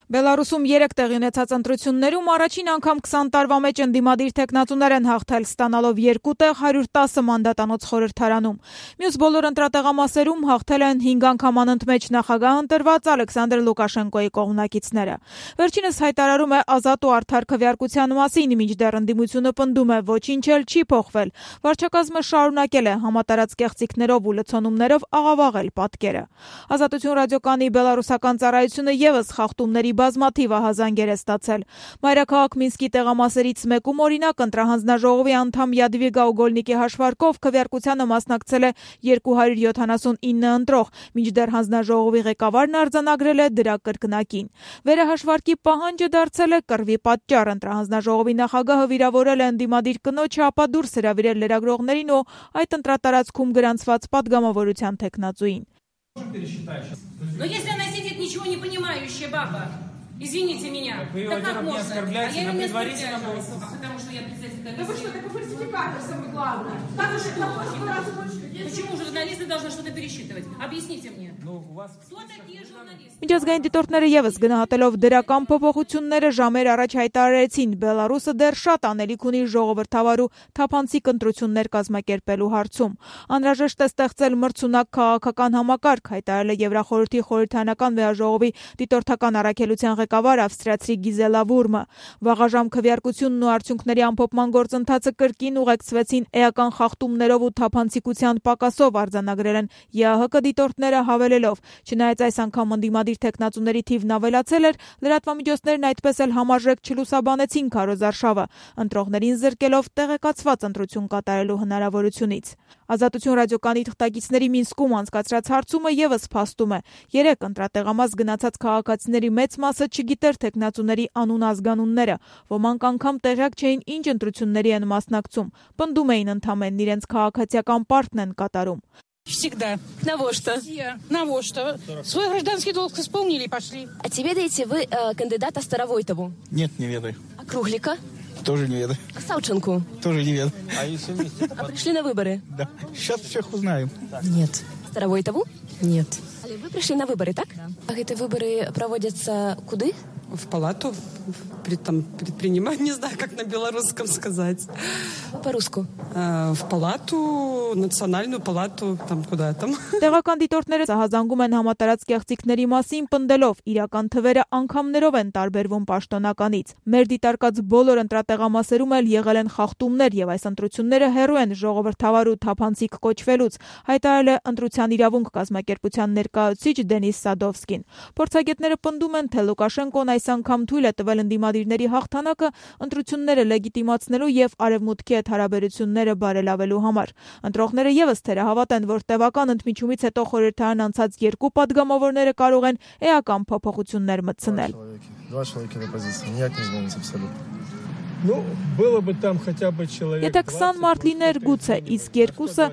Բելարուսում 3 տեղի ունեցած ընտրություններում առաջին անգամ 20 տարվա մեջ ընդդիմադիր թեկնածուներ են հաղթել, ստանալով 2 տեղ 110 մանդատանոց խորհրդարանում։ Մյուս բոլոր ընտրատեղամասերում հաղթել են 5 անգամ անընդմեջ նախագահ ընտրված Ալեքսանդր Լուկաշենկոյի կողմնակիցները։ Վերջինս հայտարարում է ազատ ու արդար քվեարկության մասին, մինչդեռ ընդդիմությունը պնդում է, ոչինչ էլ չի փոխվել։ Վարչակազմը շարունակել է համատարած կեղծիքներով ու լցոնումներով աղավաղել պատկերը։ Ազատություն ռադիոկայանի բելարուսական ծառայությունը ևս խախտումների բազմաթիվ ահազանգեր է ստացել։ Մայրաքաղաք Մինսկի տեղամասերից մեկում օրինակ ընտրահանձնաժողովի անդամ Յադվիգա Ուգոլնիկի հաշվարկով քվեարկությանը մասնակցել է 279 ընտրող, մինչդեռ հանձնաժողովի ղեկավարն արձանագրել է դրա կրկնակին։ Վերահաշվարկի պահանջը դարձել է կռվի պատճառ։ Ընտրահանձնաժողովի նախագահը վիրավորել է ընդդիմադիր կնոջը, ապա դուրս հրավիրել լրագրողներին ու այդ ընտրատարածքում գրանցված падգամավորության թեկնածուին։ Но если она сидит ничего не понимающая баба, извините меня, так как можно? А я ее не оскорбляю, потому что я председатель комиссии. Да вы что, такой фальсификатор, самое главное. Почему журналисты должны что-то пересчитывать? Объясните мне. Кто такие журналисты? Միջազգային դիտորդները ևս գնահատելով դրական փոփոխությունները ժամեր առաջ հայտարարեցին, Բելարուսը դեռ շատ անելիք ունի ժողովրդավար ու թափանցիկ ընտրություններ կազմակերպելու հարցում։ Անհրաժեշտ է ստեղծել մրցունակ քաղաքական համակարգ, հայտարարել է Եվրախորհրդի խորհրդարանական վեաժողովի դիտորդական առաքելության ղեկավար ավստրիացի Գիզելա Վուրմը։ Վաղաժամ քվեարկությունն ու արդյունքների ամփոփման գործընթացը կրկին ուղեկցվեցին էական խախտումներով ու թափանցիկության պակասով, արձանագրել են ԵԱՀԿ դիտորդները հավելելով, չնայած այս անգամ ընդդիմադիր թեկնածուների թիվն ավելացել էր, լրատվամիջոցներն այդպես էլ համարժեք չլուսաբանեցին քարոզարշավը, ընտրողներին զրկելով տեղեկացված ընտրություն կատարելու հնարավորությունից։ Ազատություն ռադիոկայանի թղթակիցների Մինսկում անցկացրած հարցումը ևս փաստում է։ 3 ընտրատեղամաս գնացած քաղաքացիների մեծ մասը չգիտեր թեկնածուների անուն-ազգանունները, ոմանք անգամ տեղյակ չէին ինչ ընտրությունների են масնակցում, պնդում էին ընդամենն իրենց քաղաքացիական պարտն են катарում։ Всегда. На что? На что? Свой гражданский долг исполнили и пошли. А тебе ведаете, вы кандидата Старовойтову? Нет, не ведаю. А Круглика? Тоже не ведаю. А Савченко? Тоже не ведаю. А пришли на выборы? Да. Сейчас всех узнаем. Нет. Старовойтову? Нет. Вы пришли на выборы, так? Да. А эти выборы проводятся куда? В палату предпринимать, не знаю, как на белорусском сказать. По-русски. В палату, национальную палату, там куда там. Տեղական դիտորդները զահազանգում են համատարած կեղծիքների մասին, պնդելով իրական թվերը անգամներով են տարբերվում պաշտոնականից։ Մեր դիտարկած բոլոր ընտրատեղամասերում էլ եղել են խախտումներ եւ այս ընտրությունները հեռու են ժողովրդավար ու թափանցիկ կոչվելուց, հայտարարել է ընտրության իրավունք կազմակերպության ներկայացուցիչ Դենիս Սադովսկին։ Փորձագետները պնդում են, թե Լուկաշենկոն այս անգամ թույլ է տվել ընդդիմադիրների հաղթանակը ընտրությունները լեգիտիմացնելու եւ արևմուտքի հետ հարաբերությունները բարելավելու համար։ Ընտրողները ևս թերահավատ են, որ տևական ընդմիջումից հետո խորհրդարան անցած 2 падգամավորները կարող են էական փոփոխություններ մտցնել։ Два человека на позиции, никак не изменится абсолютно. Ну, было бы там хотя бы человек. Եթե 20 մարդ լիներ գուցե, իսկ երկուսը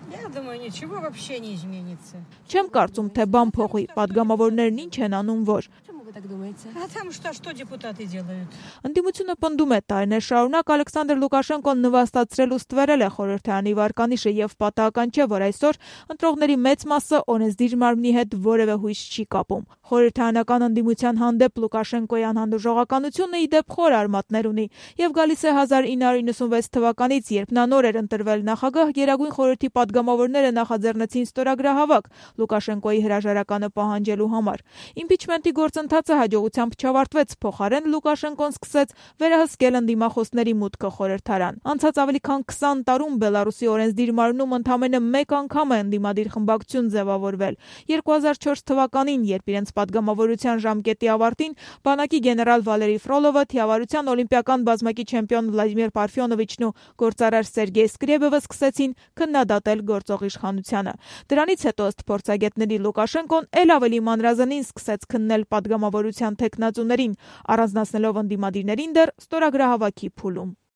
Я думаю, ничего вообще не изменится. Չեմ կարծում, թե բան փոխի, падգամավորներն ինչ են անում, որ Вы так думаете? А там что депутаты делают? Ընդդիմությունը պնդում է տարիներ շարունակ Ալեքսանդր Լուկաշենկոն նվաստացրել ու ստվերել է խորհրդարանի վարկանիշը եւ պատահական չէ, որ այսօր ընտրողների մեծ մասը օրենսդիր մարմնի հետ որևէ հույս չի կապում։ Խորհրդարանական ընդդիմության հանդեպ Լուկաշենկոյի անհանդուրժողականությունը ի դեպ խոր արմատներ ունի եւ գալիս է 1996 թվականից, երբ նա նոր էր ընտրվել նախագահ, Գերագույն խորհրդի падգամավորները նախաձեռնեցին ստորագրահավաք Լուկաշենկոյի հրաժարականը պահանջելու համար։ Իմպիչմենտի գործընթացը հաջողությամբ չավարտվեց, փոխարեն Լուկաշենկոն սկսեց վերահսկել ընդդիմախոսների մուտքը խորհրդարան։ Անցած ավելի քան 20 տարում Բելարուսի օրենսդիր մարմնում ընդամենը 1 անգամ է ընդդիմադիր խմբակցություն ձևավորվել։ 2004 թվականին, երբ իրենց падգամավորության ժամկետի ավարտին բանակի գեներալ Վալերի Ֆրոլովը, թիավարության օլիմպիական բազմակի չեմպիոն Վլադիմիր Պարֆյոնովիչն ու գործարար Սերգեյ Սկրեբևը սկսեցին քննադատել գործող իշխանությանը։ Դրանից հետո ըստ փորձագետների Լուկաշենկոն ել ավելի մանրազնին սկսեց քննել падգամավորության թեկնածուներին, առանձնացնելով ընդդիմադիրներին դեռ ստորագրահավաքի փուլում։